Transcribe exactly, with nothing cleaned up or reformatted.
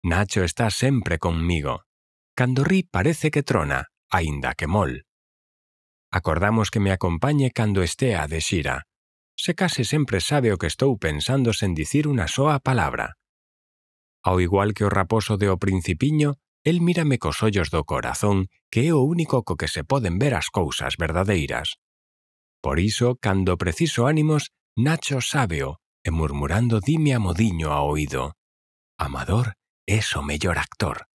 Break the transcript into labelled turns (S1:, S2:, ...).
S1: Nacho está sempre conmigo. Cando ri parece que trona, aínda que mol. Acordamos que me acompañe cando estea de xira. Se case sempre sabe o que estou pensando sen dicir unha soa palabra. Ao igual que o raposo de O Principiño, el mírame cos ollos do corazón, que é o único co que se poden ver as cousas verdadeiras. Por iso, cando preciso ánimos, Nacho sábeo, e murmurando dime a modiño ao oído: Amador es o mellor actor.